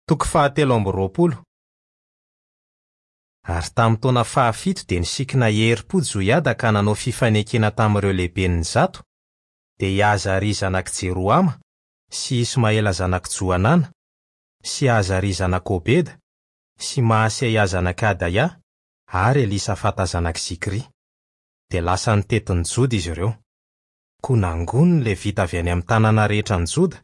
Toko fahatelo amby 20. Ary tamin'ny taona fahafito dia nisikina herim-po Joiada ka nanao fifanekena tamin'ireo lehiben'ny zato, dia i Azaria zanak'i Jerohama, sy Ismaela zanak'i Johanana, sy Azaria zanak'i Obeda, sy Mahaseia zanak'i Adaia, ary Elisafata zanak'i Zikry. Dia lasa nitety ny Joda izy ireo. Koa nangoniny ny Levita avy any amin'ny tanàna rehetra any Joda,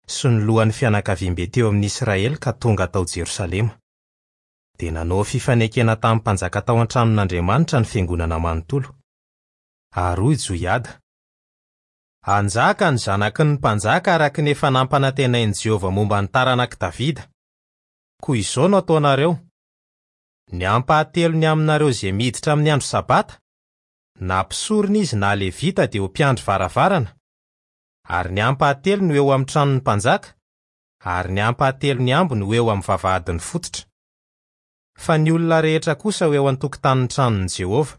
sy ny lohan'ny fianakaviambe teo amin'ny Israely ka tonga tao Jerosalema. Dia nanao fifanekena tamin'ny mpanjaka tao an-tranon'Andriamanitra ny fiangonana manontolo. Ary hoy Joiada, Hanjaka ny zanaky ny mpanjaka araka ny efa nampanantenain'i Jehovah momba ny taranak'i Davida. Koa izao no ataonareo, Ny ampahatelony aminareo izay miditra amin'ny andro Sabata, na mpisorona izy na Levita dia ho mpiandry varavarana, ary ny ampahatelony ho eo amin'ny tranon'ny mpanjaka, ary ny ampahatelony ambiny ho eo amin'ny vavahadin'ny fototra. Fa ny olona rehetra kosa ho eo an-tokotanin'ny tranon'i Jehovah.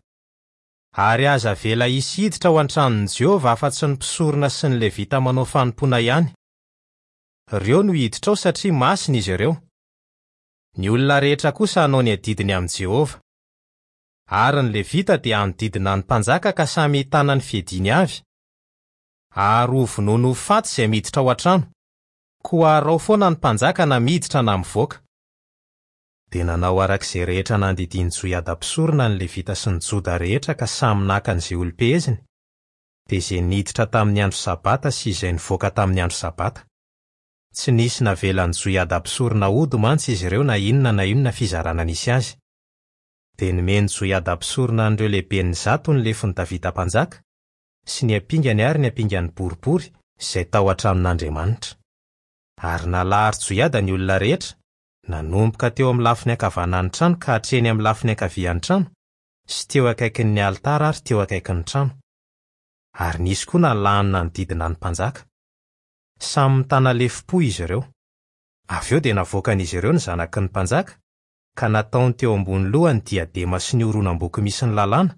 Ary aza avela hisy hiditra ao an-tranon'i Jehovah afa-tsy ny mpisorona sy ny Levita manao fanompoana ihany. Ireo no hiditra ao satria masina izy ireo. Ny olona rehetra kosa hanao ny adidiny amin'i Jehovah. Ary ny Levita dia hanodidina ny mpanjaka ka samy hitana ny fiadiany avy, Ary ho vonoiny ho faty izay miditra ao an-trano, koa araho foana ny mpanjaka na miditra na mivoaka. Dia nanao araka izay rehetra nandidian'i Joiada mpisorona ny Levita sy ny Joda rehetra ka samy naka an'izay olom-peheziny, dia izay niditra tamin'ny andro sabata sy izay nivoaka tamin'ny andro sabata. Tsy nisy navelan'i Joiada mpisorona hody mantsy izy ireo na inona na inona fizarana nisy azy. Dia nomen'i Joiada mpisorona an'ireo lehiben'ny zato ny lefon'i Davida mpanjaka, sy ny ampingany ary ny ampingany boribory izay tao an-tranon'Andriamanitra. Ary nalahatr'i Joiada ny olona rehetra, nanomboka teo amin'ny lafiny ankavanan'ny trano ka hatreny amin'ny lafiny ankavian'ny trano, sy teo akaikin'ny alitara ary teo akaikin'ny trano. Ary nisy koa nalahany nanodidina ny mpanjaka. Samy nitana lefom-po izy ireo. Avy eo dia navoakan'izy ireo ny zanaky ny mpanjaka, ka nataony teo ambony lohany ny diadema sy ny horonam-boky misy ny lalàna,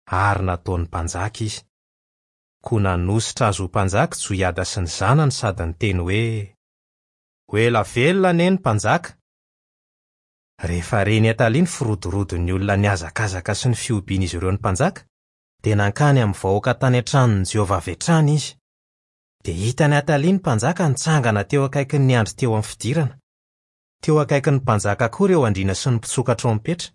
ary nataony mpanjaka izy. Koa nanosotra azy ho mpanjaka Joiada sy ny zanany sady niteny hoe, Ho ela velona anie ny mpanjaka! Rehefa ren'i Atalia ny firodorodon'ny olona nihazakazaka sy ny fihobian'izy ireo ny mpanjaka, dia nankany amin'ny vahoaka tany an-tranon'i Jehovah avy hatrany izy. Dia hitan'i Atalia ny mpanjaka nitsangana teo akaikin'ny andry teo amin'ny fidirana. Teo akaikin'ny mpanjaka koa ireo andriana sy ny mpitsoka trompetra.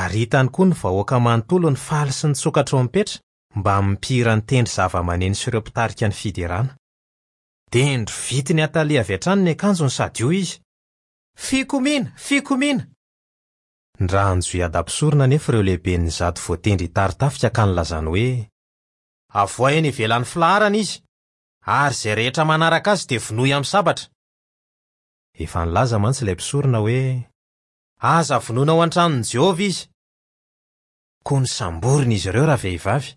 Ary hitany koa ny vahoaka manontolo nifaly sy nitsoka trompetra mbamin'ny mpihira nitendry zavamaneno sy ireo mpitarika ny fiderana. Dia norovitin'i Atalia avy hatrany ny akanjony sady hoy izy, Fikomiana! Fikomiana! Nirahan'i Joiada mpisorona anefa ireo lehiben'ny zato voatendry hitari-tafika ka nilazany hoe, Avoahy eny ivelan'ny filaharana izy, ary izay rehetra manaraka azy dia vonoy amin'ny sabatra. Efa nilaza mantsy ilay mpisorona hoe, Aza vonoina ao an-tranon'i Jehovah izy. Koa nosamborina izy ireo ravehivavy,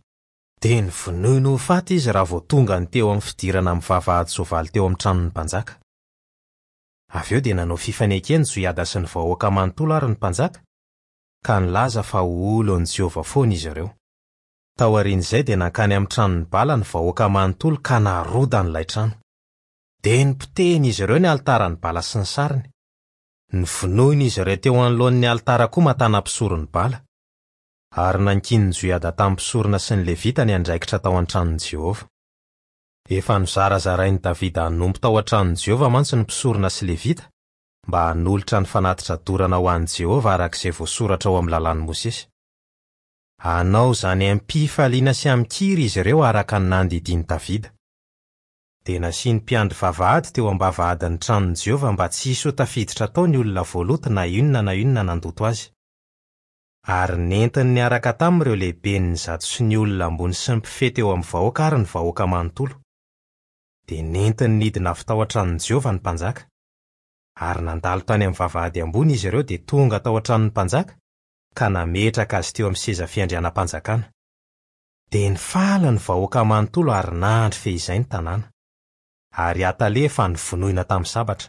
dia novonoiny ho faty izy raha vao tonga ny teo amin'ny fidirana amin'ny vavahady-soavaly teo amin'ny tranon'ny mpanjaka. Avy eo dia nanao fifanekena Joiada sy ny vahoaka manontolo ary ny mpanjaka, ka nilaza fa ho olon'i Jehovah foana izy ireo. Taorian'izay dia nankany amin'ny tranon'i Bala ny vahoaka manontolo ka narodany ilay trano. Dia nopotehin'izy ireo ny alitaran'i Bala sy ny sariny. Novonoin'izy ireo teo anoloan'ny alitara koa Matana mpisoron'i Bala. Ary nankinin'i Joiada tamin'ny mpisorona sy ny Levita ny andraikitra tao an-tranon'i Jehovah. Efa nozarazarain'i Davida hanompo tao an-tranon'i Jehovah mantsy ny mpisorona sy Levita, mba hanolotra ny fanatitra dorana ho an'i Jehovah araka izay voasoratra ao amin'ny Lalàn'i Mosesy. Hanao izany amim-pifaliana sy amin-kira izy ireo araka ny nandidian'i Davida. Dia nasiany mpiandry vavahady teo am-bavahadin'ny tranon'i Jehovah mba tsy hisy ho tafiditra tao ny olona voaloto na inona na inona nandoto azy. Ary nentiny niaraka taminy ireo lehiben'ny zato sy ny olona ambony sy ny mpifehy teo amin'ny vahoaka ary ny vahoaka manontolo. Dia nentiny nidina avy tao an-tranon'i Jehovah ny mpanjaka. Ary nandalo tany amin'ny vavahady ambony izy ireo dia tonga tao an-tranon'ny mpanjaka, ka nametraka azy teo amin'ny seza fiandrianam-panjakana. Dia nifaly ny vahoaka manontolo ary nandry fehizay ny tanàna. Ary Atalia efa novonoina tamin'ny sabatra.